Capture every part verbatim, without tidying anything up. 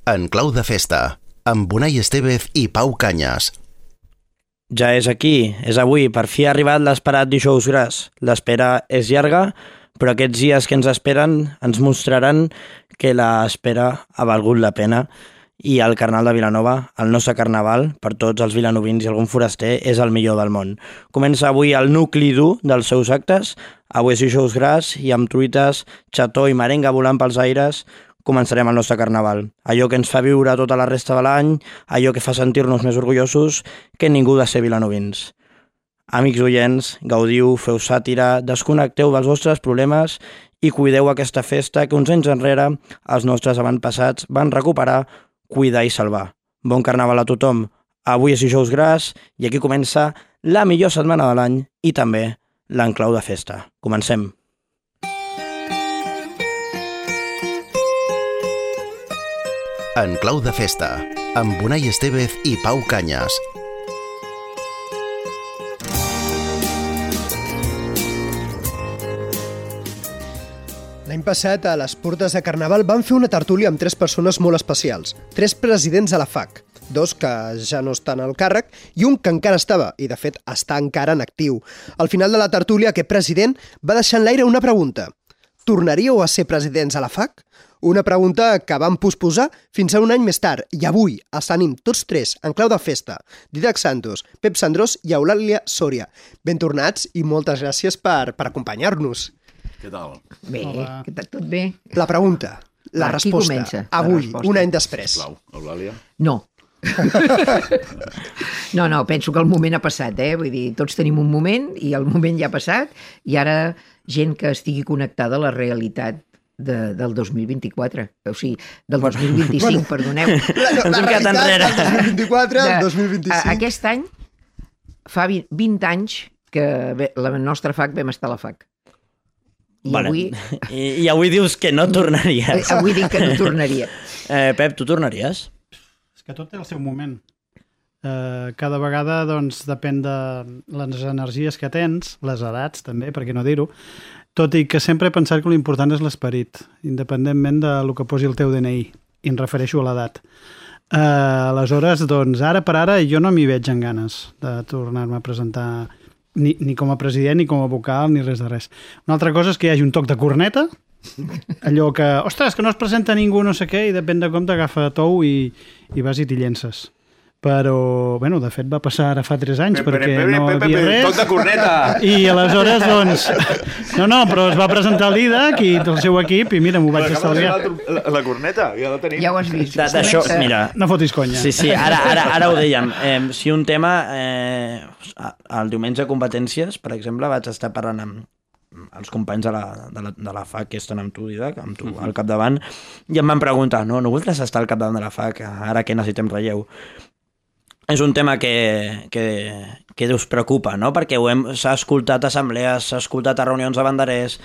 En clau de festa, amb Unai Estevez i Pau Canyes. Ja és aquí, és avui, per fi ha arribat l'esperat Dijous Gras. L'espera és llarga, però aquests dies que ens esperen ens mostraran que l'espera ha valgut la pena i el Carnaval de Vilanova, el nostre carnaval, per tots els vilanovins i algun foraster, és el millor del món. Comença avui el nucli dur dels seus actes, avui és Dijous Gras i amb truites, xató i merenga volant pels aires, començarem el nostre carnaval. Allò que ens fa viure tota la resta de l'any, allò que fa sentir-nos més orgullosos que ningú de ser vilanovins. Amics oients, gaudiu, feu sàtira, desconnecteu dels vostres problemes i cuideu aquesta festa que uns anys enrere els nostres avantpassats van recuperar, cuidar i salvar. Bon carnaval a tothom. Avui és Dijous Gras i aquí comença la millor setmana de l'any i també l'enclau de festa. Comencem. En clau de festa, amb Unai Estevez i Pau Canyes. L'any passat, a les portes de Carnaval, van fer una tertúlia amb tres persones molt especials. Tres presidents de la F A C, dos que ja no estan al càrrec i un que encara estava, i de fet està encara en actiu. Al final de la tertúlia, aquest president va deixar en l'aire una pregunta. Tornaríeu a ser presidents a la F A C? Una pregunta que van posposar fins a un any més tard i avui els tenim tots tres en clau de festa. Dídac Santos, Pep Sandrós i Eulàlia Sòria. Ben tornats i moltes gràcies per, per acompanyar-nos. Què tal? Bé, què tal? Tot bé? La pregunta, la Va, resposta. qui comença? Avui, La resposta. un any després. Sisplau, Eulàlia. No. no, no, penso que el moment ha passat, eh? Vull dir, tots tenim un moment i el moment ja ha passat i ara gent que estigui connectada a la realitat de, del dos mil vint-i-quatre, o sigui, del dos mil vint-i-cinc, perdoneu. La, no, la realitat del dos mil vint-i-quatre al dos mil vint-i-cinc. A, aquest any fa vint anys que la nostra F A C vam estar a la F A C. I, vale. avui... I, I avui dius que no tornaries. Avui dic que no tornaria. Eh, Pep, tu tornaries? És que tot té el seu moment. Eh, cada vegada doncs, depèn de les energies que tens, les edats també, per què no dir-ho, tot i que sempre he pensat que l'important és l'esperit, independentment del que posi el teu D N I, i em refereixo a l'edat. Eh, aleshores, doncs, ara per ara jo no m'hi veig en ganes de tornar-me a presentar ni, ni com a president, ni com a vocal, ni res de res. Una altra cosa és que hi hagi un toc de corneta, allò que, ostres, que no es presenta ningú, no sé què, i depèn de com t'agafa tou i, i vas i t'hi llences. Però, bueno, de fet va passar ara fa tres anys Pepe, perquè Pepe, no Pepe, havia Pepe, res. toc de corneta! I aleshores, doncs... No, no, però es va presentar el Dídac i el seu equip i mira, m'ho vaig estalviar. La, la corneta, ja la tenim. Ja ho has vist. De- D'això, mira... No fotis conya. Sí, sí, ara, ara, ara ho dèiem. Eh, si un tema... Eh, el diumenge de competències, per exemple, vaig estar parlant amb els companys de la, de la, de la F A C que estan amb tu, Dídac, amb tu uh-huh. al capdavant, i em van preguntar, no, no voldràs estar al capdavant de la F A C ara que necessitem relleu? És un tema que, que, que us preocupa, no? Perquè ho hem, s'ha escoltat a assemblees, s'ha escoltat a reunions de banderers,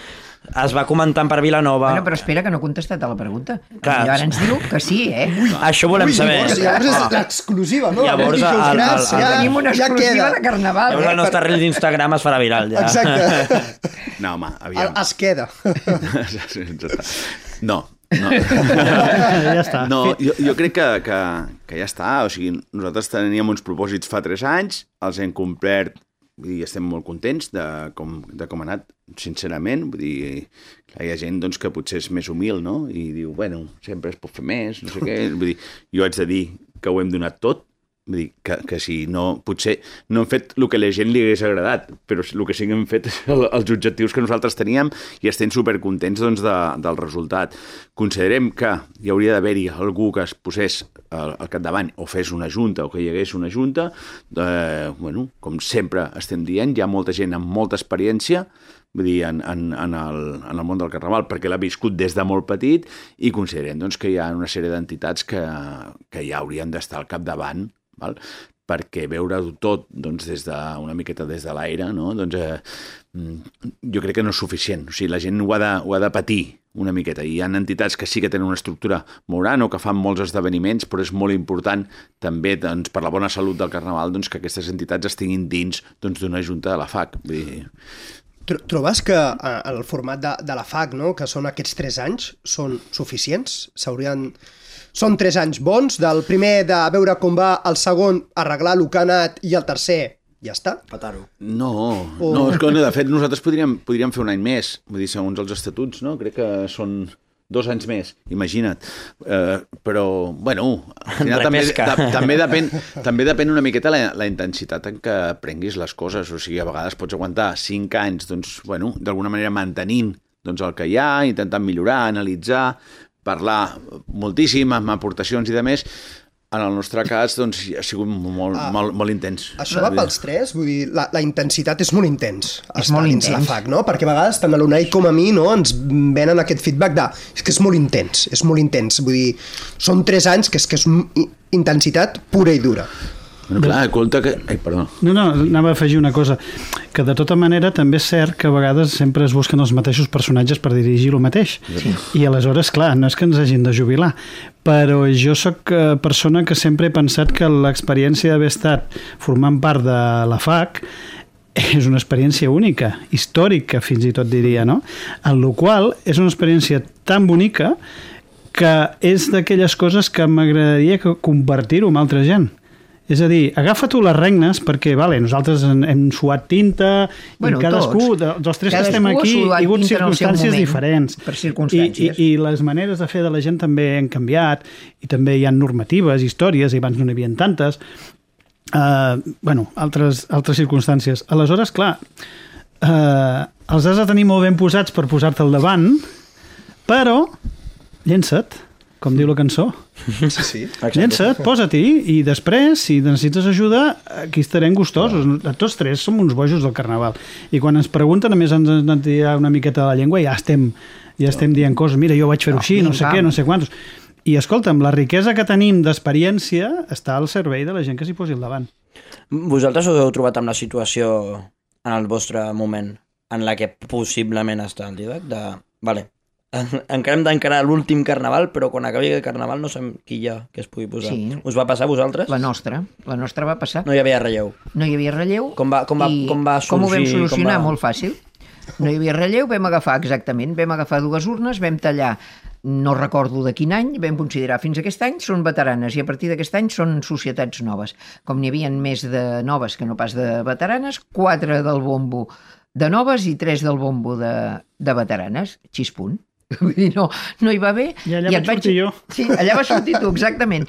es va comentant per Vilanova... Bueno, però espera, que no he contestat a la pregunta. Clar. I ara ens diu que sí, eh? Ui, això volem Ui, saber. Llavors, llavors és l'exclusiva, no? Llavors, Dijous el- el- Gras, el- ja, Tenim una ja exclusiva queda. de Carnaval, Llavors el eh? nostre reel d'Instagram es farà viral, ja. Exacte. No, home, aviam. Es queda. No, no. Ja està. No, jo, jo crec que, que, que ja està. O sigui, nosaltres teníem uns propòsits fa tres anys, els hem complert i estem molt contents de com, de com ha anat, sincerament. Vull dir, clar, hi ha gent doncs, que potser és més humil, no? I diu, bueno, sempre es pot fer més, no sé què. Vull dir, jo haig de dir que ho hem donat tot. Vull dir, que, que si no... Potser no hem fet el que a la gent li hagués agradat, però el que sí que hem fet és el, els objectius que nosaltres teníem i estem supercontents doncs, de, del resultat. Considerem que hi hauria d'haver-hi algú que es posés al, al capdavant o fes una junta o que hi hagués una junta. Eh, bueno, com sempre estem dient, hi ha molta gent amb molta experiència, vull dir, en, en, en, el, en el món del Carnaval, perquè l'ha viscut des de molt petit i considerem doncs, que hi ha una sèrie d'entitats que, que ja haurien d'estar al capdavant, val? Perquè veure-ho tot doncs, des de, una miqueta des de l'aire, no? Doncs, eh, jo crec que no és suficient. O sigui, la gent ho ha, de, ho ha de patir una miqueta. I hi ha entitats que sí que tenen una estructura molt gran o que fan molts esdeveniments, però és molt important també doncs, per la bona salut del Carnaval doncs, que aquestes entitats estiguin dins doncs, d'una junta de la F A C. Vull dir... Trobes que eh, el format de, de la F A C, no? Que són aquests tres anys, són suficients? S'haurien... són tres anys bons, del primer de veure com va, el segon arreglar el que ha anat i el tercer ja està. Petar-ho. No, oh. no, és que no, de fet nosaltres podríem, podríem fer un any més, vull dir, segons els estatuts, no? Crec que són dos anys més, imagina't. Uh, però, bueno, al final també, de, també, depèn, també depèn una miqueta la, la intensitat en què prenguis les coses. O sigui, a vegades pots aguantar cinc anys, doncs, bueno, d'alguna manera mantenint doncs, el que hi ha, intentant millorar, analitzar, parlar moltíssim, amb aportacions i de més. En el nostre cas, doncs, ha sigut molt, ah, molt, molt intens. Això va pels tres? Vull dir, la, la intensitat és molt intens. És molt intens. La F A C, no? Perquè a vegades, tant a l'Unai com a mi, no, ens venen aquest feedback de és que és molt intens, és molt intens. Vull dir, són tres anys que és que és intensitat pura i dura. Bueno, clar, compte que... Ai, perdó. No, no, anava a afegir una cosa, que de tota manera també és cert que a vegades sempre es busquen els mateixos personatges per dirigir el mateix. Sí. I aleshores, clar, no és que ens hagin de jubilar, però jo sóc persona que sempre he pensat que l'experiència d'haver estat formant part de la F A C és una experiència única, històrica fins i tot diria, no? En la qual és una experiència tan bonica que és d'aquelles coses que m'agradaria compartir-ho amb altra gent. És a dir, agafa tu les regnes perquè, vale, nosaltres hem suat tinta bueno, i cadascú, tots. dels tres cadascú que estem aquí, hi ha hagut circumstàncies moment, diferents. Per circumstàncies. I, i, I les maneres de fer de la gent també han canviat i també hi ha normatives, històries, i abans no n'hi havia tantes. Uh, bueno, altres, altres circumstàncies. Aleshores, clar, uh, els has de tenir molt ben posats per posar-te al davant, però llença't, com diu la cançó. Sí, sí. Llença't, posa-t'hi, i després, si necessites ajuda, aquí estarem gustosos. Tots tres som uns bojos del carnaval. I quan ens pregunten, a més ens han de tirar una miqueta de la llengua, ja estem, ja estem dient coses, mira, jo vaig fer-ho així, no sé què, no sé quantos. I escolta'm, la riquesa que tenim d'experiència està al servei de la gent que s'hi posi al davant. Vosaltres us heu trobat amb la situació en el vostre moment en la que possiblement està el Didac de... Vale, encara hem d'encarar l'últim carnaval, però quan acabi el carnaval no sabem qui hi ha que es pugui posar. Sí. Us va passar a vosaltres? La nostra, la nostra va passar. No hi havia relleu? No hi havia relleu. Com va, com va, com va sorgir? Com ho vam solucionar? Va... Molt fàcil. No hi havia relleu, vam agafar, exactament, vam agafar dues urnes, vam tallar, no recordo de quin any, vam considerar fins aquest any són veteranes i a partir d'aquest any són societats noves. Com n'hi havia més de noves que no pas de veteranes, quatre del bombo de noves i tres del bombo de, de veteranes, xispunt. Vull dir, no, no hi va bé. I allà I vaig sortir jo. Sí, allà vas sortir tu, exactament.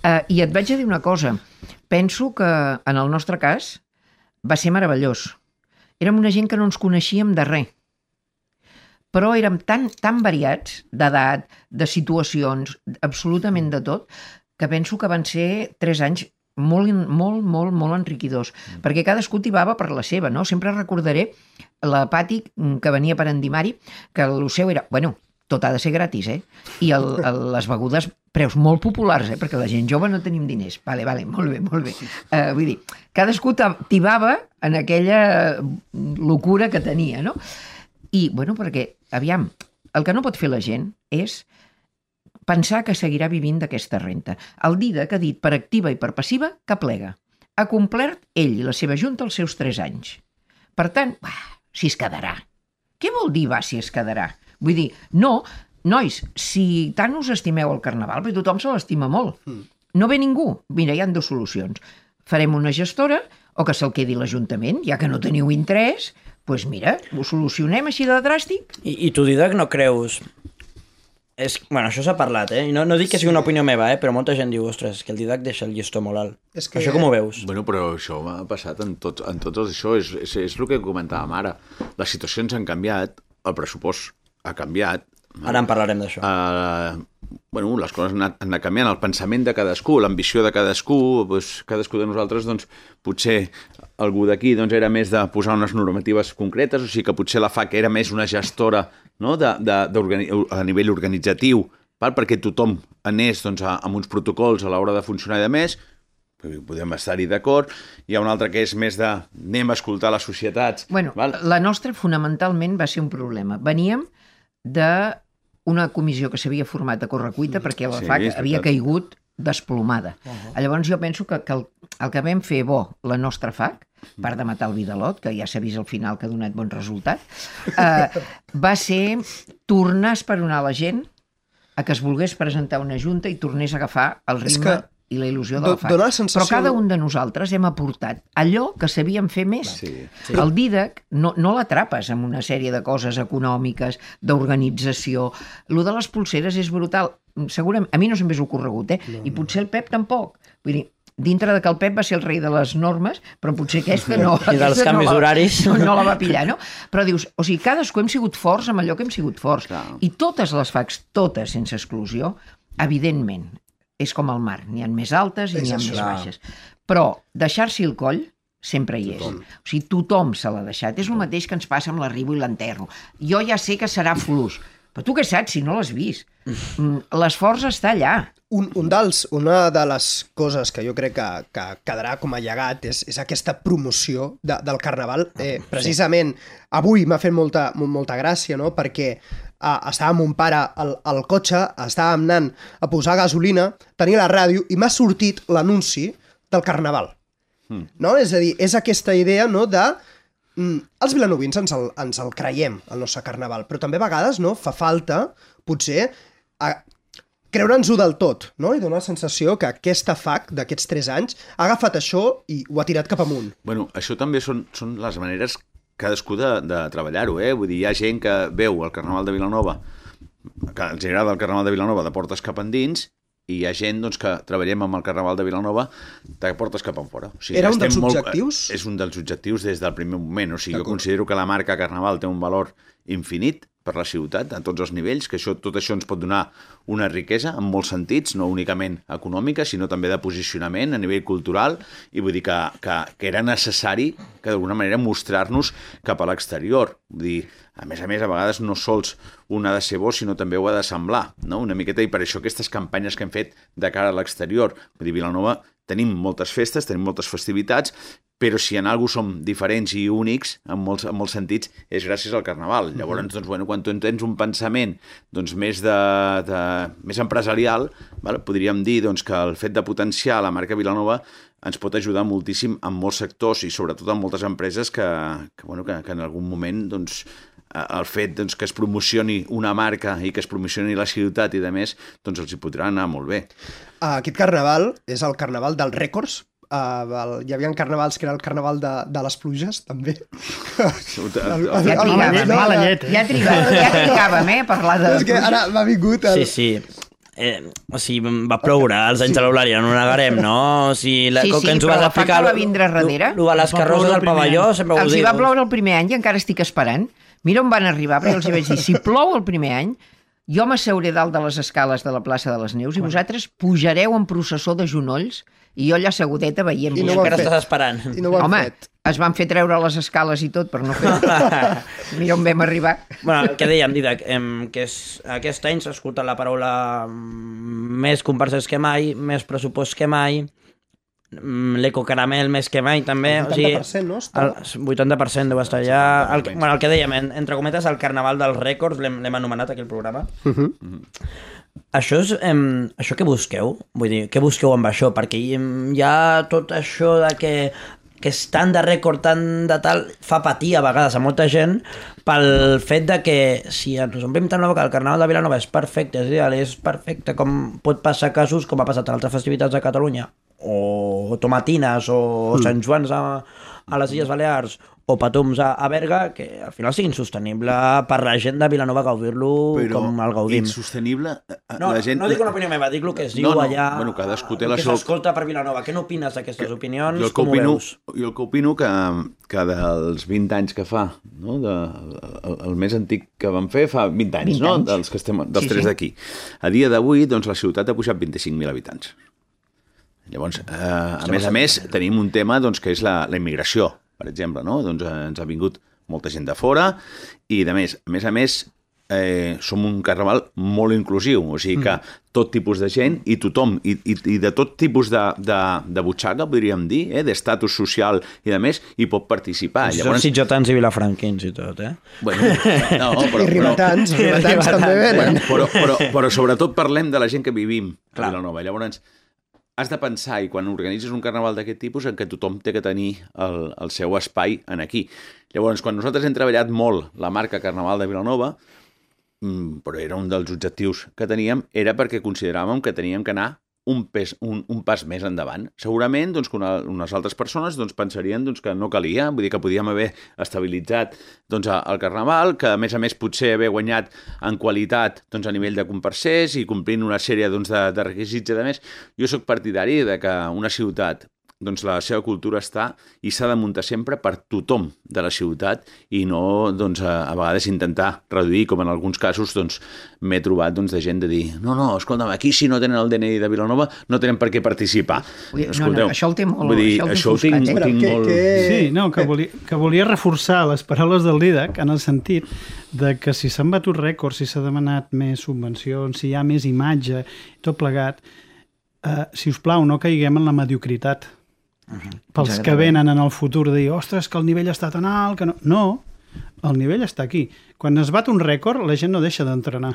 Uh, I et vaig a dir una cosa. Penso que en el nostre cas va ser meravellós. Érem una gent que no ens coneixíem de res. Però érem tan, tan variats d'edat, de situacions, absolutament de tot, que penso que van ser tres anys molt, molt, molt, molt enriquidors. Mm. Perquè cadascú tibava per la seva, no? Sempre recordaré la Pati, que venia per endimar-hi, que el seu era... Bueno, tot ha de ser gratis, eh? I el, el, les begudes, preus molt populars, eh? Perquè la gent jove no tenim diners. Vale, vale, molt bé, molt bé. Uh, vull dir, cadascú tibava en aquella locura que tenia, no? I, bueno, perquè, aviam, el que no pot fer la gent és pensar que seguirà vivint d'aquesta renta. El Didac ha dit per activa i per passiva que plega. Ha complert ell i la seva junta els seus tres anys. Per tant, bah, si es quedarà. Què vol dir, va, si es quedarà? Vull dir, no, nois, si tant us estimeu el carnaval, perquè tothom se l'estima molt, no ve ningú. Mira, hi ha dues solucions. Farem una gestora o que se'l quedi l'Ajuntament, ja que no teniu interès, doncs mira, ho solucionem així de dràstic. I, i tu, Didac, no creus... És, bueno, això s'ha parlat, eh? No, no dic que sigui una opinió meva, eh? Però molta gent diu, ostres, que el Didac deixa el llistó molt alt. És que... Això com ho veus? Bueno, però això m'ha passat en tots, en tots els això. És, és, és el que comentàvem ara. Les situacions han canviat, el pressupost ha canviat. Ara en parlarem d'això. Uh, bueno, les coses han anat, han anat canviant, el pensament de cadascú, l'ambició de cadascú, doncs, cadascú de nosaltres, doncs, potser algú d'aquí doncs, era més de posar unes normatives concretes, o sigui que potser la F A C era més una gestora, no? de, de, a nivell organitzatiu, val? Perquè tothom anés doncs, a, amb uns protocols a l'hora de funcionar i de més, podem estar-hi d'acord. Hi ha un altre que és més de anem a escoltar les societats. Bueno, val? La nostra fonamentalment va ser un problema. Veníem d'una comissió que s'havia format a correcuita perquè la sí, F A C havia caigut desplomada. Uh-huh. Llavors jo penso que, que el, el que vam fer bo la nostra F A C, a part de matar el Vidalot, que ja s'ha vist al final que ha donat bon resultat, eh, va ser tornar a esperonar la gent a que es volgués presentar una junta i tornés a agafar el ritme que i la il·lusió de do- la F A C. dona la sensació- Però cada un de nosaltres hem aportat allò que sabíem fer més. Sí, sí. El Didac no, no l'atrapes amb una sèrie de coses econòmiques, d'organització. Lo de les pulseres és brutal. Segurament, a mi no se'm hagués ocorregut, eh? No, I potser el Pep tampoc. Vull dir, dintre de que el Pep va ser el rei de les normes, però potser aquesta no. I dels aquesta canvis no la, horaris. No, no la va pillar, no? Però dius, o sigui, cadascú hem sigut forts amb allò que hem sigut forts. Clar. I totes les F A Cs, totes sense exclusió, evidentment, és com el mar, n'hi ha més altes i És n'hi ha això. més baixes. Però deixar-s'hi el coll sempre hi és. Tothom. O sigui, tothom se l'ha deixat. És el mateix que ens passa amb l'arribo i l'enterro. Jo ja sé que serà fluix, però tu què saps si no l'has vist? L'esforç està allà. Un, un dels, una de les coses que jo crec que, que quedarà com a llegat és, és aquesta promoció de, del Carnaval. Eh, precisament avui m'ha fet molta, molta gràcia, no? Perquè eh, estava amb mon pare al, al cotxe, estàvem anant a posar gasolina, tenia la ràdio i m'ha sortit l'anunci del Carnaval. Mm. No? És a dir, és aquesta idea, no?, de mm, els vilanovins ens el, ens el creiem, el nostre Carnaval, però també a vegades, no?, fa falta, potser, a, creure'ns-ho del tot, no? I donar la sensació que aquesta F A C d'aquests tres anys ha agafat això i ho ha tirat cap amunt. Bueno, això també són, són les maneres cadascú de, de treballar-ho, eh? Vull dir, hi ha gent que veu el Carnaval de Vilanova, que els agrada el Carnaval de Vilanova de portes cap endins, i hi ha gent doncs, que treballem amb el Carnaval de Vilanova de portes cap enfora. O sigui, Era un dels estem molt- objectius? És un dels objectius des del primer moment. O sigui, jo considero que la marca Carnaval té un valor infinit per la ciutat, a tots els nivells, que això, tot això ens pot donar una riquesa en molts sentits, no únicament econòmica, sinó també de posicionament a nivell cultural, i vull dir que, que, que era necessari que d'alguna manera mostrar-nos cap a l'exterior. Vull dir, a més a més, a vegades no sols un ha de ser bo, sinó també ho ha de semblar, no? Una miqueta, i per això aquestes campanyes que hem fet de cara a l'exterior. Vull dir, Vilanova tenim moltes festes, tenim moltes festivitats, però si en alguna som diferents i únics, en molts, en molts sentits, és gràcies al Carnaval. Llavors, doncs, bueno, quan tu tens un pensament doncs, més, de, de, més empresarial, val? Podríem dir doncs, que el fet de potenciar la marca Vilanova ens pot ajudar moltíssim en molts sectors i sobretot en moltes empreses que, que, bueno, que, que en algun moment doncs, el fet doncs, que es promocioni una marca i que es promocioni la ciutat i de més, doncs els hi podrà anar molt bé. Aquest Carnaval és el Carnaval dels rècords. Uh, el, hi havia carnavals que era el Carnaval de, de les pluges, també. Ja trigàvem, no, mala no, llet, eh? ja trigàvem, ja trigàvem, eh, a parlar de... És que ara m'ha vingut el... Sí, sí. Eh, o sigui, va ploure als anys de l'Eulàlia, no ho negarem, no? O sigui, la, Sí, com sí, que ens ho però vas la F A C explicar... va vindre darrere. Lo, lo de les Va carrosses ploure del el primer pavelló, any. sempre ho Els hi dic. va ploure el primer any i encara estic esperant. Mira on van arribar, perquè els hi vaig dir, si plou el primer any, jo m'asseuré dalt de les escales de la plaça de les Neus i vosaltres pujareu en processó de genolls i jo allà assegudeta veient I I no ho han encara fet. estàs esperant. I no ho han Home, fet. es van fer treure les escales i tot per no fer... Mira on vam arribar. Bueno, què dèiem, Didac? Em, que és, aquest any s'ha escoltat la paraula mm, més comparses que mai, més pressupost que mai, mm, l'ecocaramel més que mai, també. El vuitanta per cent, no? Està... El vuitanta per cent deu estar allà. El, bueno, el que dèiem, en, entre cometes, el carnaval dels rècords, l'hem l'hem anomenat aquí el programa. Uh -huh. Això és... Em, això què busqueu? Vull dir, què busqueu amb això? Perquè em, hi ha tot això de que que és tant de rècord, tant de tal, fa patir a vegades a molta gent pel fet de que si ens omplim tant la boca, el Carnaval de Vilanova és perfecte, és ideal, és perfecte, com pot passar casos com ha passat en altres festivitats de Catalunya, o Tomatines, o mm. Sant Joans a, a les Illes Balears, o Patums a, a Berga, que al final sigui insostenible per la gent de Vilanova gaudir-lo com el gaudim. Insostenible... No, la gent... no dic una opinió meva, dic el que es diu no, no, allà, bueno, cadascú té el la que seva- s'escolta per Vilanova. Què n'opines d'aquestes opinions? Jo el que Com ho opino, veus? jo el que opino que, que dels vint anys que fa, no? de, el, el més antic que vam fer fa vint anys, vint no? anys. Dels, que estem, dels Sí, tres sí. d'aquí. A dia d'avui, doncs, la ciutat ha pujat vint-i-cinc mil habitants. Llavors, eh, a més a més, tenim un tema doncs, que és la, la immigració, per exemple, no? Doncs eh, ens ha vingut molta gent de fora i, de més, a més a més, eh, som un carnaval molt inclusiu, o sigui que tot tipus de gent i tothom, i, i, i de tot tipus de, de, de butxaca, podríem dir, eh, d'estatus social i de més, hi pot participar. Si són sitjotans i vilafranquins i tot, eh? Bueno, no, però, I ribetans, però- ribetans també venen. Bueno, però, però, però sobretot parlem de la gent que vivim a Clar. Vilanova. Llavors, has de pensar, i quan organitzes un carnaval d'aquest tipus, en què tothom té que tenir el, el seu espai en aquí. Llavors, quan nosaltres hem treballat molt la marca Carnaval de Vilanova, però era un dels objectius que teníem, era perquè consideràvem que teníem que anar un, pes, un, un pas més endavant. Segurament doncs, que una, unes altres persones doncs, pensarien doncs, que no calia, vull dir que podíem haver estabilitzat doncs, el Carnaval, que a més a més potser haver guanyat en qualitat doncs, a nivell de comparsers i complint una sèrie doncs, de, de requisits i de més. Jo sóc partidari de que una ciutat doncs la seva cultura està i s'ha de muntar sempre per tothom de la ciutat i no doncs, a, a vegades intentar reduir, com en alguns casos doncs, m'he trobat doncs, de gent de dir no, no, escolta'm, aquí si no tenen el D N I de Vilanova no tenen per què participar. Ui, no, no, això el té molt, vull dir, això el té això ho tinc, foscat, eh? tinc que, molt... que... Sí, no, que volia, que volia reforçar les paraules del Dídac en el sentit de que si s'han batut rècords, si s'ha demanat més subvencions, si hi ha més imatge, tot plegat, eh, si us plau, no caiguem en la mediocritat. Uh-huh. Pels que venen en el futur de dir, ostres, que el nivell està tan alt que no... No, el nivell està aquí. Quan es bat un rècord, la gent no deixa d'entrenar.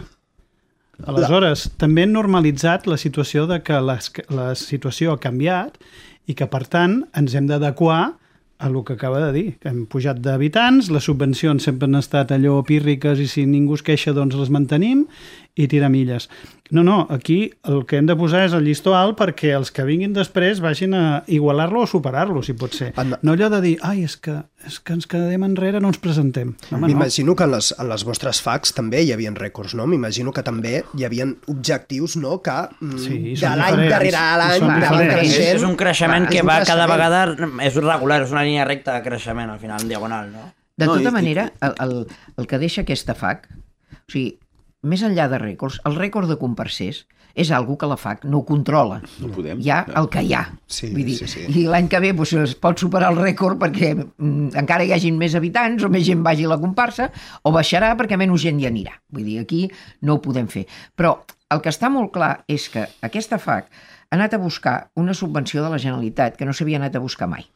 Aleshores, també hem normalitzat la situació de que la, la situació ha canviat i que, per tant, ens hem d'adequar a el que acaba de dir. Hem pujat d'habitants, les subvencions sempre han estat allò pírriques i si ningú es queixa doncs les mantenim i tirar milles. No, no, aquí el que hem de posar és el llistó alt perquè els que vinguin després vagin a igualar-lo o superar-lo, si pot ser. No allò de dir, ai, és que, és que ens quedem enrere, no ens presentem. M'imagino no. que en les, en les vostres facs també hi havia rècords, no? M'imagino que també hi havia objectius, no?, que sí, de l'any darrere l'any anaven creixent. És un creixement que va cada vegada, és regular, és una línia recta de creixement, al final, en diagonal, no? De tota manera, el, el, el que deixa aquesta fac, o sigui, més enllà de rècords, el rècord de comparsers és algo que la fac no ho controla. No podem. Hi ha el que hi ha. Sí, Vull dir, sí, sí. I l'any que ve doncs, es pot superar el rècord perquè mm, encara hi hagin més habitants o més gent vagi a la comparsa, o baixarà perquè menys gent hi anirà. Vull dir, aquí no ho podem fer. Però el que està molt clar és que aquesta fac ha anat a buscar una subvenció de la Generalitat que no s'havia anat a buscar mai.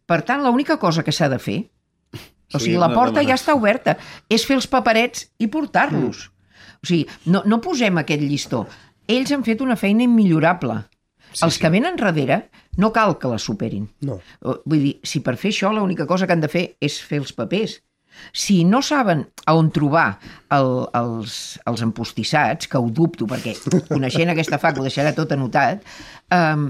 Per tant, l'única cosa que s'ha de fer, o sigui, la porta ja està oberta, és fer els paperets i portar-los. Mm. O sigui, no, no posem aquest llistó. Ells han fet una feina immillorable. Sí, Els que venen darrere no cal que la superin. No. Vull dir, si per fer això l'única cosa que han de fer és fer els papers. Si no saben on trobar el, els, els empostissats, que ho dubto perquè coneixent aquesta fac ho deixarà tot anotat, eh,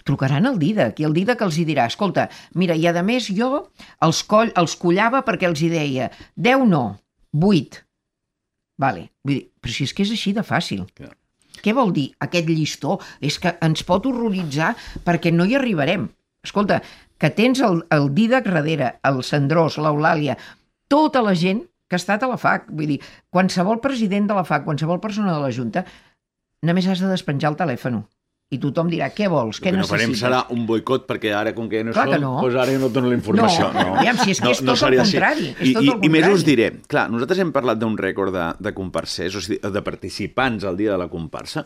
trucaran al Dídac i el Dídac els hi dirà, escolta, mira, i a més jo els, coll, els collava perquè els hi deia deu no, vuit. Vale. Vull dir, però si és que és així de fàcil. Clar. Què vol dir aquest llistó? És que ens pot horroritzar perquè no hi arribarem. Escolta, que tens el, el Dídac darrere, el Sandrós, l'Eulàlia, tota la gent que ha estat a la fac. Vull dir, qualsevol president de la fac, qualsevol persona de la Junta, només has de despenjar el telèfon. I tothom dirà, què vols, què necessites? El que no farem serà un boicot, perquè ara, com que no clar som, no. doncs ara jo no et dono la informació. No, no. Aviam, si és que no, és tot no el contrari. És I, tot i, el contrari. I més us diré, clar, nosaltres hem parlat d'un rècord de, de comparsers, o sigui, de participants al dia de la comparsa,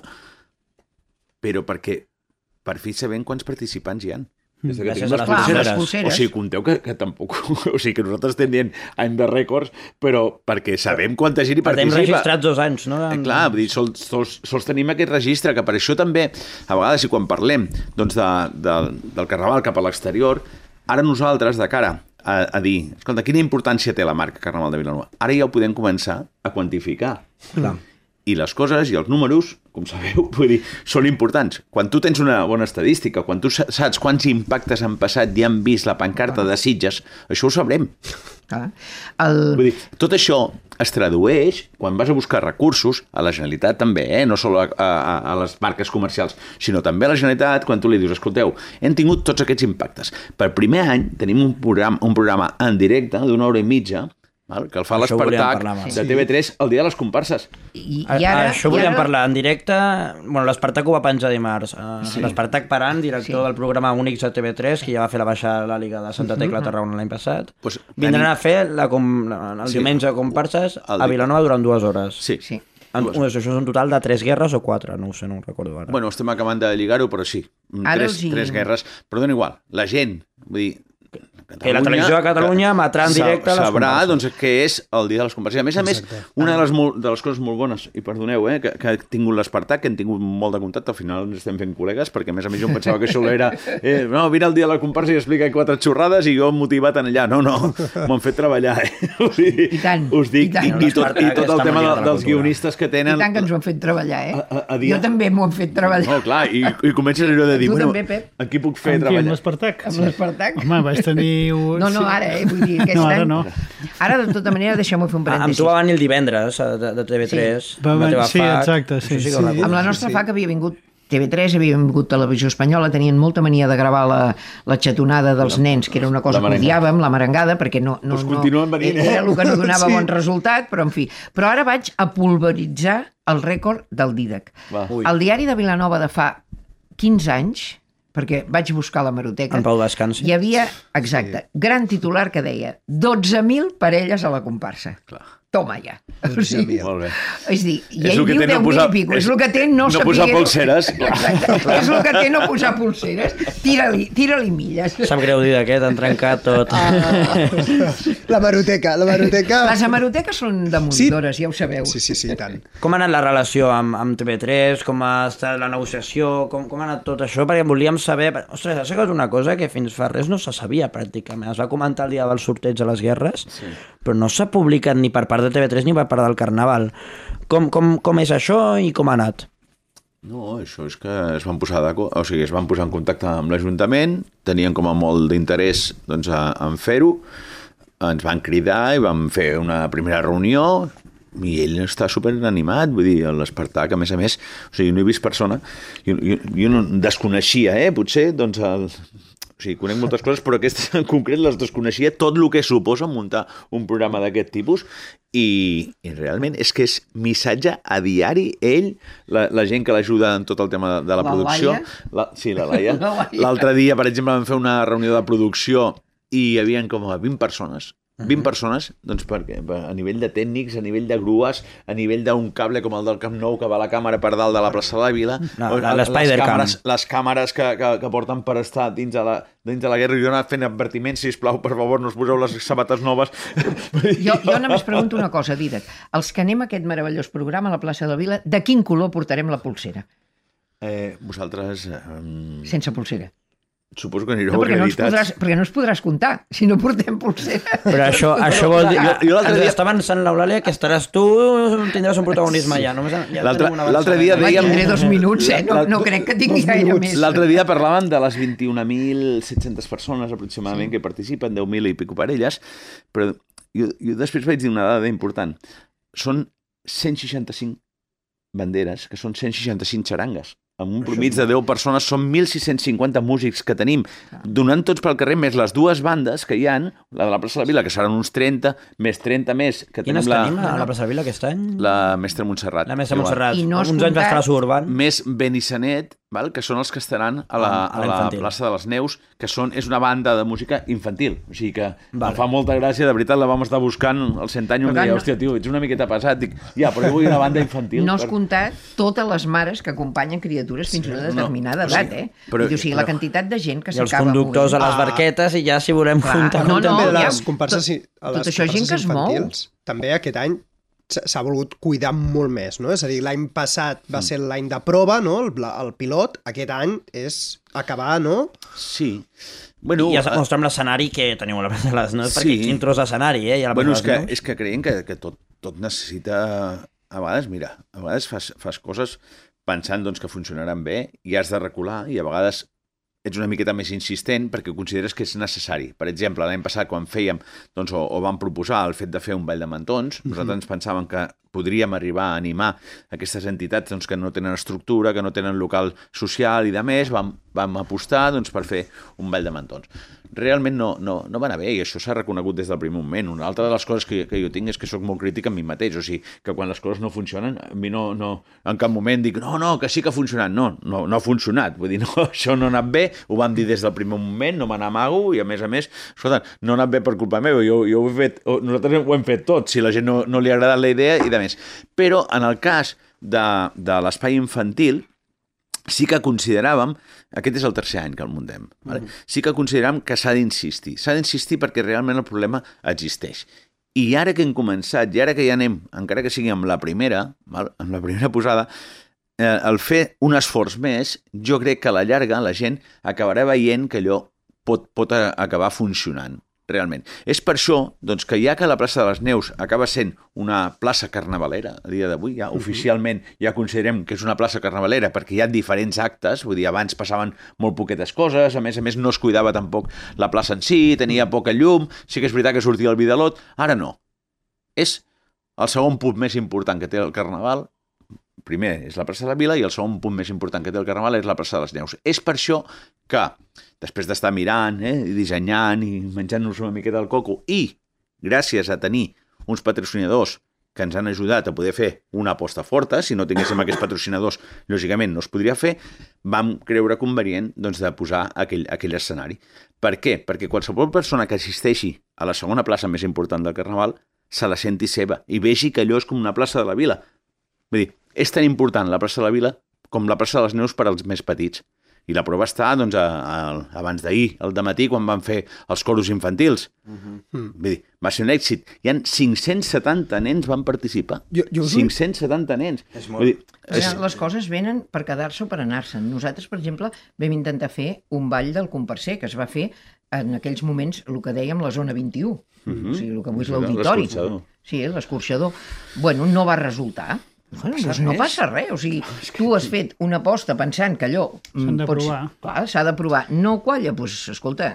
però perquè per fi sabem quants participants hi ha. Des que Gràcies a les pulseres. pulseres. O sigui, compteu que, que tampoc... O sigui, que nosaltres estem dient any de rècords, però perquè sabem quanta gent hi participa. Portem registrats dos anys, no? Eh, clar, vull dir, sols, sols, sols tenim aquest registre, que per això també, a vegades, i quan parlem doncs, de, de, del Carnaval cap a l'exterior, ara nosaltres, de cara a, a dir, escolta, quina importància té la marca Carnaval de Vilanova? Ara ja ho podem començar a quantificar. Clar. I les coses i els números, com sabeu, vull dir, són importants. Quan tu tens una bona estadística, quan tu saps quants impactes han passat i han vist la pancarta de Sitges, això ho sabrem. Ah, el... Vull dir, tot això es tradueix quan vas a buscar recursos, a la Generalitat també, eh? No només a, a, a les marques comercials, sinó també a la Generalitat, quan tu li dius, escolteu, hem tingut tots aquests impactes. Per primer any tenim un programa, un programa en directe d'una hora i mitja, val? Que el fa l'Espartac de T V tres el dia de les comparses. I, i ara, Això volíem ara... parlar en directe. Bueno, l'Espartac ho va penjar dimarts. Sí. L'Espartac Paran, director sí. del programa Únics de T V tres, que ja va fer la baixada a la Liga de Santa Tecla Tarragona l'any passat. Pues, vindran tenim... a fer la com... el sí. diumenge de comparses a Vilanova durant dues hores. Sí, sí. En, això és un total de tres guerres o quatre, no ho sé, no ho recordo ara. Bueno, estem acabant de lligar-ho, però sí. Tres, hi... tres guerres. Però dona igual. La gent, vull dir, que la televisió de Catalunya emetrà en directe les sabrà, comparses. doncs, què és el dia de les comparses. A més a més, una de les, de les coses molt bones, i perdoneu, eh, que, que he tingut l'Espartac, que hem tingut molt de contacte, al final ens estem fent col·legues, perquè a més a més jo em pensava que això era eh, no, vine el dia de la comparsa i explica quatre xorrades i jo motivat en allà. No, no, m'han fet treballar, eh? O sigui, I tant, us dic, i tant. i, i, tot, i tot el tema de, dels guionistes que tenen... I tant que ens ho han fet treballar, eh? A, a, a dia... Jo també m'ho han fet treballar. No, clar, i, i comences allò de dir, Tu bueno, també, Pep? en qui puc fer Amb qui, treballar? amb l'Espartac? Amb l'Espartac? Home, vaig tenir... Un... No, no, ara, eh? Vull dir, aquest No, ara any... no. Ara, de tota manera, deixeu-me fer un Amb parèntesis. tu va venir el divendres de, de T V tres. Va amb la venir- teva sí, fac. exacte, sí, Això sí que sí. ho recordo. Amb la nostra Sí, sí. fac havia vingut T V tres, havia vingut Televisió Espanyola, tenien molta mania de gravar la, la xatonada dels nens, que era una cosa La que merengada. odiàvem, la merengada, perquè no... no, Doncs no continuen venint, eh? Era el que no donava Sí. bon resultat, però en fi. Però ara vaig a pulveritzar el rècord del Dídac. Va. Ui. El diari de Vilanova de fa quinze anys, perquè vaig buscar la hemeroteca, En Pau descansi. hi havia, exacte, gran titular que deia dotze mil parelles a la comparsa. Clar. Toma ja. O sigui, Molt bé. és dir, i És ell el que diu té no deu mil posar- i pico, és és- el que té no, no posar saber- polseres. Exacte, és el que té no posar polseres. Tira-li tira milles. Sap greu dir d'aquest, han trencat tot. La maroteca, la maroteca... Les hemeroteques són demolidores, ja ho sabeu. Sí, sí, sí, i tant. Com ha anat la relació amb, amb T V tres? Com ha estat la negociació? Com, com ha anat tot això? Perquè volíem saber... Ostres, això és una cosa que fins fa res no se sabia pràcticament. Es va comentar el dia del sorteig a les guerres, sí. però no s'ha publicat ni per part de T V tres ni per part del Carnaval. Com, com, com és això i com ha anat? No, això és que es van posar d'acord, o sigui, es van posar en contacte amb l'Ajuntament, tenien com a molt d'interès doncs, a, en fer-ho, ens van cridar i vam fer una primera reunió i ell està super animat, vull dir, l'Espartac, a més a més, o sigui, no he vist persona, jo, jo, jo no desconeixia, eh, potser, doncs, el, o sigui, conec moltes coses, però aquestes en concret les desconeixia, tot el que suposa muntar un programa d'aquest tipus, i, i realment és que és missatge a diari, ell, la, la gent que l'ajuda en tot el tema de, de la, La producció. Laia? La, sí, la Laia. La Laia. L'altre dia, per exemple, vam fer una reunió de producció i hi havia com a vint persones. vint persones, doncs perquè a nivell de tècnics, a nivell de grues, a nivell d'un cable com el del Camp Nou que va a la càmera per dalt de la plaça de la Vila, No, o la- les l'Spider-Cam. càmeres, les càmeres que, que, que porten per estar dins de la, dins de la guerra, i jo he anat fent advertiments, sisplau, per favor, no us poseu les sabates noves. Jo, jo només pregunto una cosa, Dídac. Els que anem a aquest meravellós programa a la plaça de la Vila, de quin color portarem la pulsera? Eh, vosaltres... Eh, Sense pulsera. suposo que anireu No, perquè, no ens acreditats. podràs, perquè no ens podràs comptar si no portem pulsera. Però això, això vol dir... Jo- jo l'altre ens dia- està avançant l'Eulàlia que estaràs tu, tindràs un protagonisme ja. Només, ja L'altre- tenim un l'altre avançament. dia Home, dèiem- tindré dos minuts, eh? No, La- no crec que tingui dos gaire minuts. més. L'altre dia parlàvem de les vint i un mil set-centes persones aproximadament sí. que participen, deu mil i pico parelles, però jo, jo després vaig dir una dada important. Són cent seixanta-cinc banderes, que són cent seixanta-cinc xarangues. Amb un promig de deu persones, són mil sis-cents cinquanta músics que tenim, donant tots pel carrer, més les dues bandes que hi han, la de la plaça de la Vila, que seran uns trenta, més trenta més, que Quines tenim la, tenim a la plaça de Vila aquest any? la Mestra Montserrat. La Mestra Igual. Montserrat. I no has Uns anys va estar a la comptat- Suburban. Més Benissanet, val? Que són els que estaran a la, A- a a la l'infantil. plaça de les Neus, que són, és una banda de música infantil. O sigui que Vale. em fa molta gràcia, de veritat, la vam estar buscant al cent any, i em Per tant, deia, no- hòstia, tio, ets una miqueta pesat. Dic, ja, però jo vull una banda infantil. No has per- comptat totes les mares que acompanyen criatures fins a una determinada no. edat, eh? Però- Però, o sigui, però- la quantitat de gent que I els s'acaba conductors a movent. les barquetes i ja si volem Clar, comptar... no, comptem. no, també ja, les comparses, tot- a tot les això gent comparses que es mou. infantils, també aquest any s'ha s'ha volgut cuidar molt més, no? És a dir, l'any passat va ser l'any de prova, no? El, el pilot, aquest any és acabar, no? Sí. Bueno, I ja es eh, mostra amb l'escenari que teniu a la plaça de les Neus, Sí. perquè quin tros d'escenari, eh? I a la bueno, plaça és de que, les Neus. és que creiem que, que tot, tot necessita... A vegades, mira, a vegades fas, fas coses pensant doncs, que funcionaran bé i has de recular, i a vegades ets una miqueta més insistent perquè consideres que és necessari. Per exemple, l'any passat, quan fèiem, doncs, o, o vam proposar el fet de fer un ball de mantons, nosaltres ens pensàvem que podríem arribar a animar aquestes entitats doncs, que no tenen estructura, que no tenen local social i de més, vam, vam apostar doncs, per fer un ball de mantons. Realment no, no, no va anar bé, i això s'ha reconegut des del primer moment. Una altra de les coses que, que jo tinc és que sóc molt crític amb mi mateix, o sigui, que quan les coses no funcionen, a mi no, no en cap moment dic, no, no, que sí que ha funcionat. No, no, no ha funcionat, vull dir, no, això no ha anat bé, ho vam dir des del primer moment, no me n'amago, i a més a més, escolta, no ha anat bé per culpa meva, jo, jo ho he fet, nosaltres ho hem fet tot, si la gent no, no li ha agradat la idea i de més. Però en el cas de, de l'espai infantil, sí que consideràvem, aquest és el tercer any que el muntem, vale? Mm. sí que consideràvem que s'ha d'insistir. S'ha d'insistir perquè realment el problema existeix. I ara que hem començat, i ara que ja anem, encara que sigui amb la primera, val? amb la primera posada, eh, el fer un esforç més, jo crec que a la llarga la gent acabarà veient que allò pot, pot acabar funcionant. Realment. És per això doncs, que ja que la plaça de les Neus acaba sent una plaça carnavalera a dia d'avui, ja uh-huh. oficialment ja considerem que és una plaça carnavalera perquè hi ha diferents actes, vull dir, abans passaven molt poquetes coses, a més a més no es cuidava tampoc la plaça en si, tenia poca llum, sí que és veritat que sortia el Vidalot, ara no. És el segon punt més important que té el Carnaval, primer és la plaça de la Vila i el segon punt més important que té el Carnaval és la plaça de les Neus. És per això que, després d'estar mirant, eh, i dissenyant i menjant-nos una miqueta del coco, i gràcies a tenir uns patrocinadors que ens han ajudat a poder fer una aposta forta, si no tinguéssim aquests patrocinadors, lògicament no es podria fer, vam creure convenient doncs, de posar aquell, aquell escenari. Per què? Perquè qualsevol persona que assisteixi a la segona plaça més important del Carnaval se la senti seva i vegi que allò és com una plaça de la Vila. Vull dir, és tan important la plaça de la Vila com la plaça de les Neus per als més petits. I la prova està doncs, a, a, abans d'ahir, al dematí, quan van fer els coros infantils. Uh-huh. Vull dir, va ser un èxit. Hi ha cinc-cents setanta nens van participar. Jo, jo cinc-cents setanta nens. És molt... Vull dir, és... Les coses venen per quedar-se o per anar-se'n. Nosaltres, per exemple, vam intentar fer un ball del comparser, que es va fer en aquells moments, el que dèiem, la zona vint-i-u. Uh-huh. O sigui, el que avui és l'auditori. L'escorxador. Sí, l'escorxador. Bueno, no va resultar. Bueno, doncs no passa res, o sigui, tu has fet una aposta pensant que allò... S'han de pots... provar. Clar, s'ha de provar. No qualla, doncs, escolta,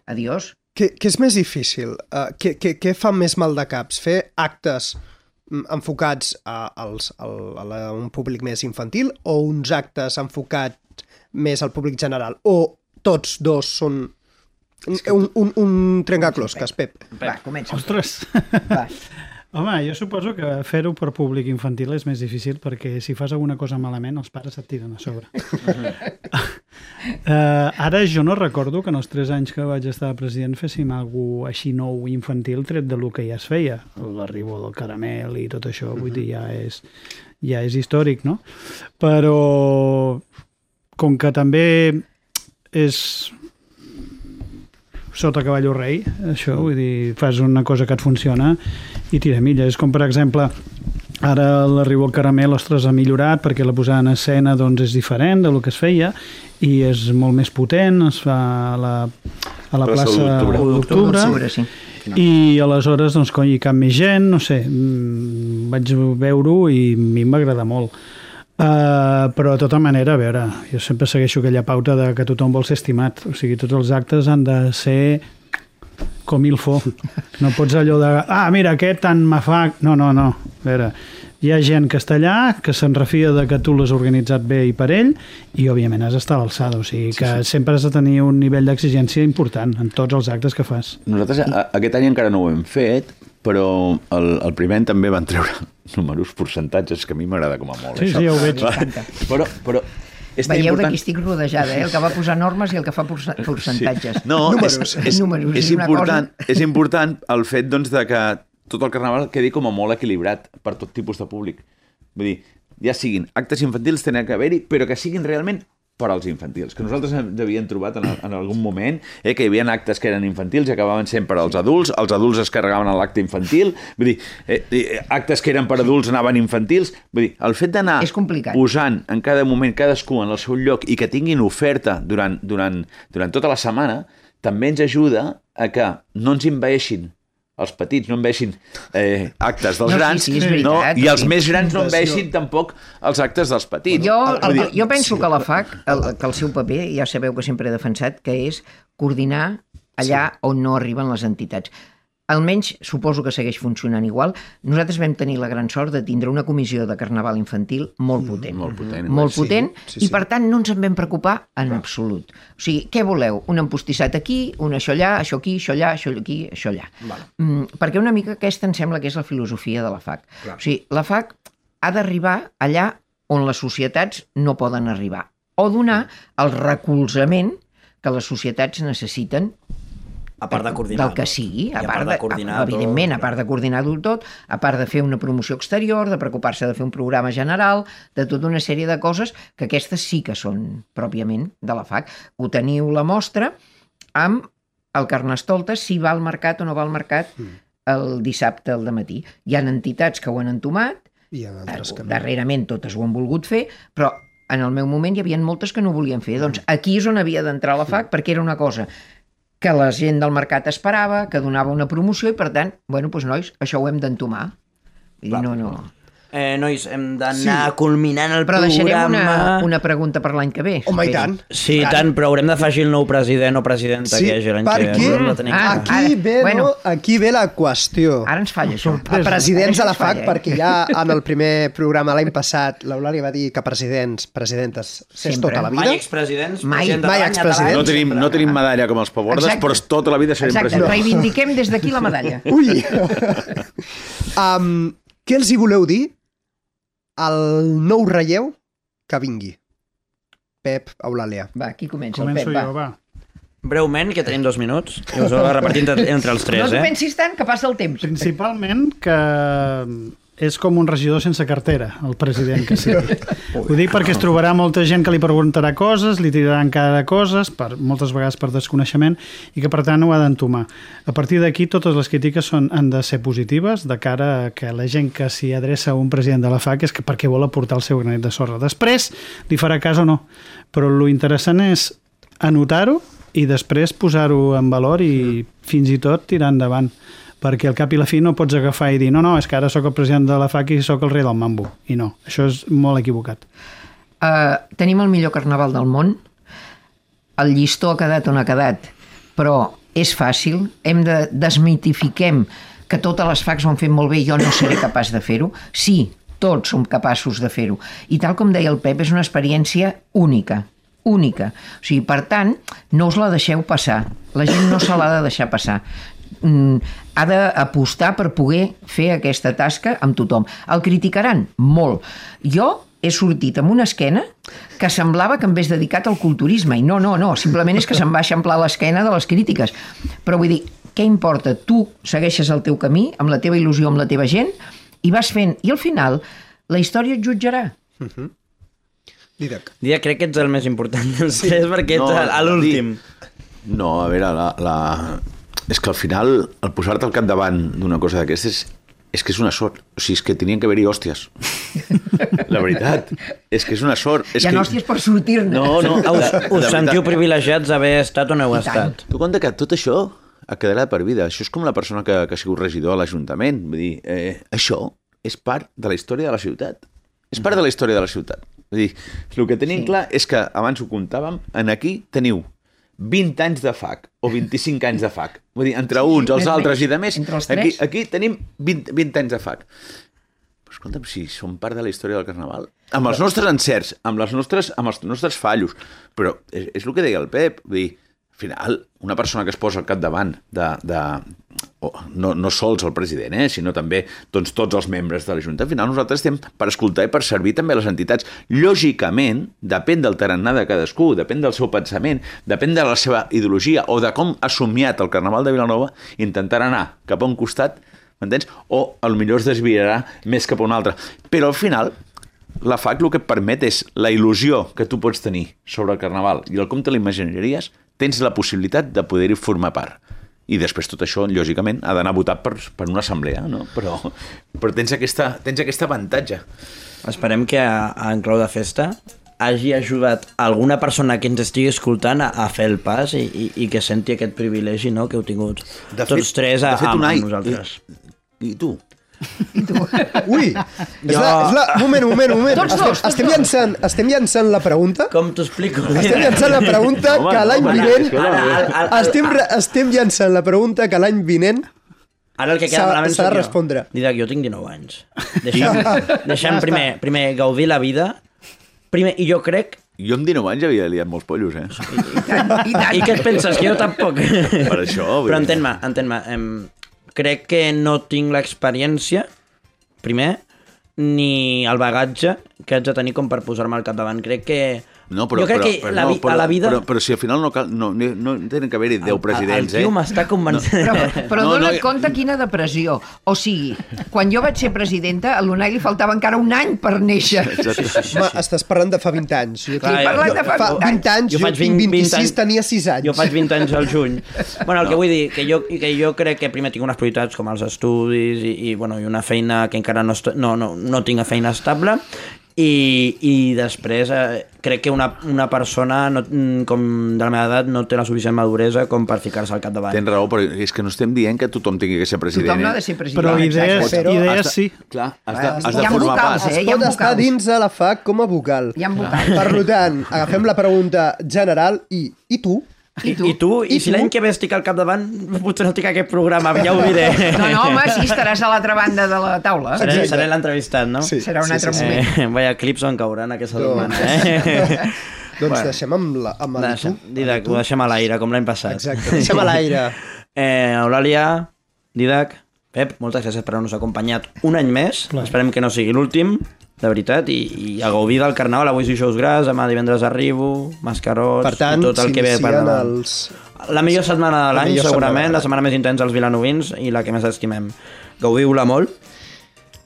adiós. Què, què és més difícil? Uh, què, què, què fa més mal de caps? Fer actes enfocats a, als, a, a un públic més infantil o uns actes enfocats més al públic general? O tots dos són un, un, un trencaclosques, Pep? Va, comença. Ostres! Va. Home, jo suposo que fer-ho per públic infantil és més difícil perquè si fas alguna cosa malament els pares et tiren a sobre. uh, ara jo no recordo que en els tres anys que vaig estar president féssim alguna cosa així nou infantil tret de lo que ja es feia. L'arribó del caramel i tot això, vull dir, ja és, ja és històric, no? Però com que també és sota cavallo rei, això, vull dir, fas una cosa que et funciona i tira milla. És com, per exemple, ara l'arribo al caramel, ostres, ha millorat perquè la posada en escena doncs, és diferent del que es feia i és molt més potent, es fa a la, a la plaça d'Octubre, sí. I aleshores, doncs, coi, hi cap més gent, no sé, vaig veure-ho i a mi em va agradar molt. Uh, però de tota manera, a veure, jo sempre segueixo aquella pauta de que tothom vol ser estimat, o sigui, tots els actes han de ser com il fo. No pots allò de, ah, mira, aquest tant me fa... No, no, no, a veure, hi ha gent que està allà, que se'n refia de que tu l'has organitzat bé i per ell, i òbviament has d'estar a l'alçada, o sigui que sí, sí. sempre has de tenir un nivell d'exigència important en tots els actes que fas. Nosaltres a, aquest any encara no ho hem fet, però el, el primer any també van treure números, percentatges, que a mi m'agrada com a molt. Sí, això. sí, ja ho veig. Però, però és Veieu important... de qui estic rodejada, eh? El que va posar normes i el que fa percentatges. Sí. No, números, és, és, números, és, és, important, és important el fet doncs, de que tot el carnaval quedi com a molt equilibrat per tot tipus de públic. Vull dir, ja siguin actes infantils, tenen que haver-hi, però que siguin realment per als infantils, que nosaltres havíem trobat en, en algun moment, eh, que hi havia actes que eren infantils i acabaven sent per als adults, els adults es carregaven a l'acte infantil, vull dir, eh, actes que eren per adults anaven infantils, vull dir, el fet d'anar posant en cada moment cadascú en el seu lloc i que tinguin oferta durant, durant, durant tota la setmana, també ens ajuda a que no ens envaeixin els petits, no enveixin eh, actes dels no, grans, sí, sí, veritat, no? I els sí. més grans no enveixin tampoc els actes dels petits. Jo, el, jo penso que la F A C, el, que el seu paper, ja sabeu que sempre he defensat, que és coordinar allà sí. on no arriben les entitats. Almenys suposo que segueix funcionant igual. Nosaltres vam tenir la gran sort de tindre una comissió de carnaval infantil molt potent. Mm, molt potent. Molt potent sí, sí, i per tant no ens en vam preocupar en absolut. O sigui, què voleu? Un empostissat aquí, un això allà, això aquí, això allà, això aquí, això allà. Vale. Mm, perquè una mica aquesta em sembla que és la filosofia de la F A C. Clar. O sigui, la F A C ha d'arribar allà on les societats no poden arribar o donar el recolzament que les societats necessiten A part de coordinar del que sigui, a, I part de, coordinar evidentment, tot. a part de coordinar-ho tot, a part de fer una promoció exterior, de preocupar-se de fer un programa general, de tota una sèrie de coses que aquestes sí que són pròpiament de la F A C. Ho teniu la mostra amb el Carnestoltes, si va al mercat o no va al mercat el dissabte al dematí. Hi ha entitats que ho han entomat, I en altres que no. darrerament totes ho han volgut fer, però en el meu moment hi havia moltes que no ho volien fer. Doncs aquí és on havia d'entrar la F A C, perquè era una cosa que la gent del mercat esperava, que donava una promoció i, per tant, bueno, doncs, nois, això ho hem d'entomar. Vull dir, no, no... Eh, nois, hem d'anar Sí. culminant el Però deixarem programa... una, una pregunta per l'any que ve. Home, i espero. tant. Sí, i tant, però haurem d'afegir el nou president o presidenta Sí, que hi hagi l'any que ve. perquè Haurem de tenir Ah, clar. aquí, Ara, ve, bueno. no? aquí ve la qüestió. Ara ens falla això. A presidents a la Ara ens F A C, falla, eh? perquè ja en el primer programa l'any passat l'Eulàlia va dir que presidents, presidentes, s'és Sempre. tota la vida. Mai expresidents, Mai. president de Mai l'any, expresident. No tenim, no tenim medalla com els pavordes, Exacte. però tota la vida serem Exacte, presidents. reivindiquem des d'aquí la medalla. Ui! um, què els hi voleu dir al nou relleu que vingui? Pep, Eulàlia. Va, qui comença? Començo el Pep, jo, va. va. Breument, que tenim dos minuts, i us ho repartim entre, entre els No tres, t'ho eh? pensis tant, que passa el temps. Principalment que és com un regidor sense cartera, el president que sigui. Ho dic perquè es trobarà molta gent que li preguntarà coses, li tiraran cara de coses, per, moltes vegades per desconeixement, i que per tant ho ha d'entomar. A partir d'aquí totes les crítiques són, han de ser positives de cara a que la gent que s'hi adreça a un president de la F A C és que perquè vol aportar el seu granet de sorra. Després li farà cas o no, però lo interessant és anotar-ho i després posar-ho en valor i fins i tot tirar endavant, perquè al cap i la fi no pots agafar i dir no, no, és que ara sóc el president de la F A C i sóc el rei del mambo. I no, això és molt equivocat. Uh, tenim el millor carnaval del món, el llistó ha quedat on ha quedat, però és fàcil, hem de desmitifiquem que totes les F A Cs ho han fet molt bé i jo no seré capaç de fer-ho. Sí, tots som capaços de fer-ho. I tal com deia el Pep, és una experiència única, única. O sigui, per tant, no us la deixeu passar. La gent no se l'ha de deixar passar. Mm, ha d'apostar per poder fer aquesta tasca amb tothom. El criticaran? Molt. Jo he sortit amb una esquena que semblava que em hagués dedicat al culturisme, i no, no, no, simplement és que se'm va eixamplar l'esquena de les crítiques. Però vull dir, què importa? Tu segueixes el teu camí, amb la teva il·lusió, amb la teva gent, i vas fent. I al final, la història et jutjarà. Uh-huh. Didac. Dia, crec que ets el més important dels tres, perquè ets No, a l'últim. No, a veure, la, la... és que al final, el posar-te al capdavant d'una cosa d'aquestes és que és una sort. O sigui, és que tenien que haver-hi hòsties. La veritat, és que és una sort. És Hi ha que... hòsties per sortir-ne. No, no, Us, de, us de sentiu veritat. privilegiats d'haver estat on heu I tant. estat. Tu compte que tot això ha quedat per vida. Això és com la persona que, que ha sigut regidor a l'Ajuntament. Vull dir, eh, això és part de la història de la ciutat. És part de la història de la ciutat. Vull dir, el que tenim Sí. clar és que, abans ho comptàvem, en aquí teniu vint anys de F A C o vint-i-cinc anys de F A C. Vull dir, entre uns, els més altres menys. i de més, Entre els aquí, tres. aquí tenim vint, vint anys de F A C. Però escolta'm, si som part de la història del Carnaval, amb els nostres encerts, amb, les nostres, amb els nostres fallos, però és, és el que deia el Pep, vull dir, al final, una persona que es posa al capdavant de... de oh, no, no sols el president, eh, sinó també doncs, tots els membres de la Junta. Al final nosaltres estem per escoltar i per servir també a les entitats. Lògicament, depèn del tarannà de cadascú, depèn del seu pensament, depèn de la seva ideologia o de com ha somiat el Carnaval de Vilanova, intentar anar cap a un costat, m'entens? O potser es desviarà més cap a un altre. Però al final, la F A C el que et permet és la il·lusió que tu pots tenir sobre el Carnaval i el com te l'imaginaries, tens la possibilitat de poder-hi formar part. I després tot això, lògicament, ha d'anar votat per, per una assemblea, no? Però, però tens, aquesta, tens aquest avantatge. Esperem que a, a En Clau de Festa hagi ajudat alguna persona que ens estigui escoltant a, a fer el pas i, i, i que senti aquest privilegi, no?, que heu tingut De tots fet- tres a, de fet, amb, Unai, amb nosaltres. I, i tu? Ui! És la, és la... Moment, moment, moment. Tots estem, dos, tots estem, dos. llançant, estem llançant la pregunta. Com t'ho explico? Estem llançant la pregunta Home, que l'any home, vinent... escolta, Ara, ara, ara, Estem, re- estem llançant la pregunta que l'any vinent... Ara el que queda S'ha- malament s'ha de sóc jo. respondre. Didac, jo tinc dinou anys. Deixem, deixem primer, primer gaudir la vida. Primer, i jo crec... Jo amb dinou anys havia liat molts pollos, eh? I tant, i tant. I què et penses? Que jo tampoc. Per això, vull Però dir. entén-me, entén-me. Em, crec que no tinc l'experiència, primer, ni el bagatge que haig de tenir com per posar-me al capdavant. Crec que No, però, Jo crec però, que però, la vi- no, però, a la vida- Però, però si al final no, cal, no, no, no tenen que haver-hi deu presidents, el, el tio eh? m'està convencent. Però, però No, no, dona't no, compte quina depressió. O sigui, quan jo vaig ser presidenta, a l'Unai li faltava encara un any per néixer. Exacte. Home, estàs parlant de fa vint anys. Jo, Clar, Estic parlant de fa fa vint anys. vint anys, jo, faig tinc vint- vint vint-i-sis, anys. tenia sis anys. Jo faig vint anys al juny. Bueno, el que vull dir, que jo, que jo crec que primer tinc unes prioritats com els estudis i, i, bueno, i una feina que encara no, est- no, no, no tinc feina estable, i, i després eh, crec que una, una persona no, com de la meva edat no té la suficient maduresa com per ficar-se al capdavant. Tens raó, però és que no estem dient que tothom tingui que ser president. Tothom no ha eh? de ser president. Però exacte. idees, Però idees has de- sí. Clar, has de, has Hi de ha formar vocals, part. eh? Es hi ha pot estar vocals. dins de la F A C com a vocal. Hi ha vocals. Per tant, agafem la pregunta general i, i tu? I, I tu? I, I si tu? l'any que ve estic al capdavant, potser no estic a aquest programa, ja ho diré. No, no, home, sí, estaràs a l'altra banda de la taula. Seré, Exacte. seré l'entrevistat, no? Sí. Serà un altre moment. Eh, vaya clips on cauran aquesta Doncs- setmana, eh? Doncs Bueno. deixem amb, la, amb el Deixem, tu. Didac, ho deixem a l'aire, com l'any passat. Exacte, deixem a l'aire. Eh, Eulàlia, Didac, Pep, moltes gràcies per haver-nos acompanyat un any més. Esperem que no sigui l'últim, de veritat, i, i a gaudir del carnaval. Avui Dijous Gras, demà divendres arribo, mascarots, Per tant, i tot el que ve per s'inicien davant. els... La millor setmana de La l'any, millor segurament, setmana de la setmana més intensa als vilanovins i la que més estimem. Gaudiu-la molt,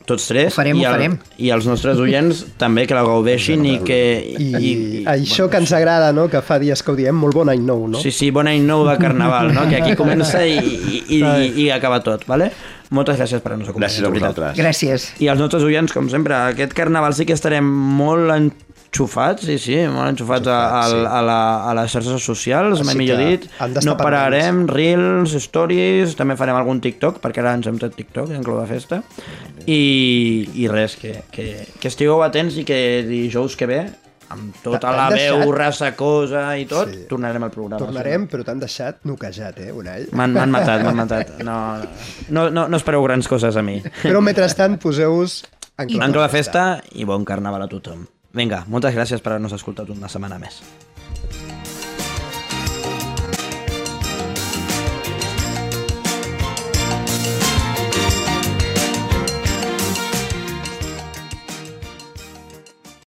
tots tres. Ho farem, i ho farem. I els nostres oients també, que la gaudeixin i que... I, I això que ens agrada, no?, que fa dies que ho diem, molt bon any nou, no? Sí, sí, bon any nou de carnaval, no? Que aquí comença i, i, i, i acaba tot, vale? Moltes gràcies per haver-nos acompanyat. Gràcies a de veritat. vosaltres. Gràcies. I als nostres oients, com sempre, aquest carnaval sí que estarem molt enxufats, sí, sí, molt enxufats a, a, a, la, a les xarxes socials, mai Així millor que dit. han d'estar No pararem, reels, stories, també farem algun TikTok, perquè ara ens hem tret TikTok en Clau de Festa. I, i res, que, que, que estigueu atents i que dijous que ve, amb tota T'han la veu deixat? rassacosa i tot, Sí. tornarem al programa. Tornarem, però t'han deixat noquejat, eh, Unai? M'han m'han matat, m'han matat. No, no, no, no espereu grans coses a mi. Però mentrestant, poseu-vos en En Clau de Festa i bon carnaval a tothom. Vinga, moltes gràcies per haver-nos escoltat una setmana més.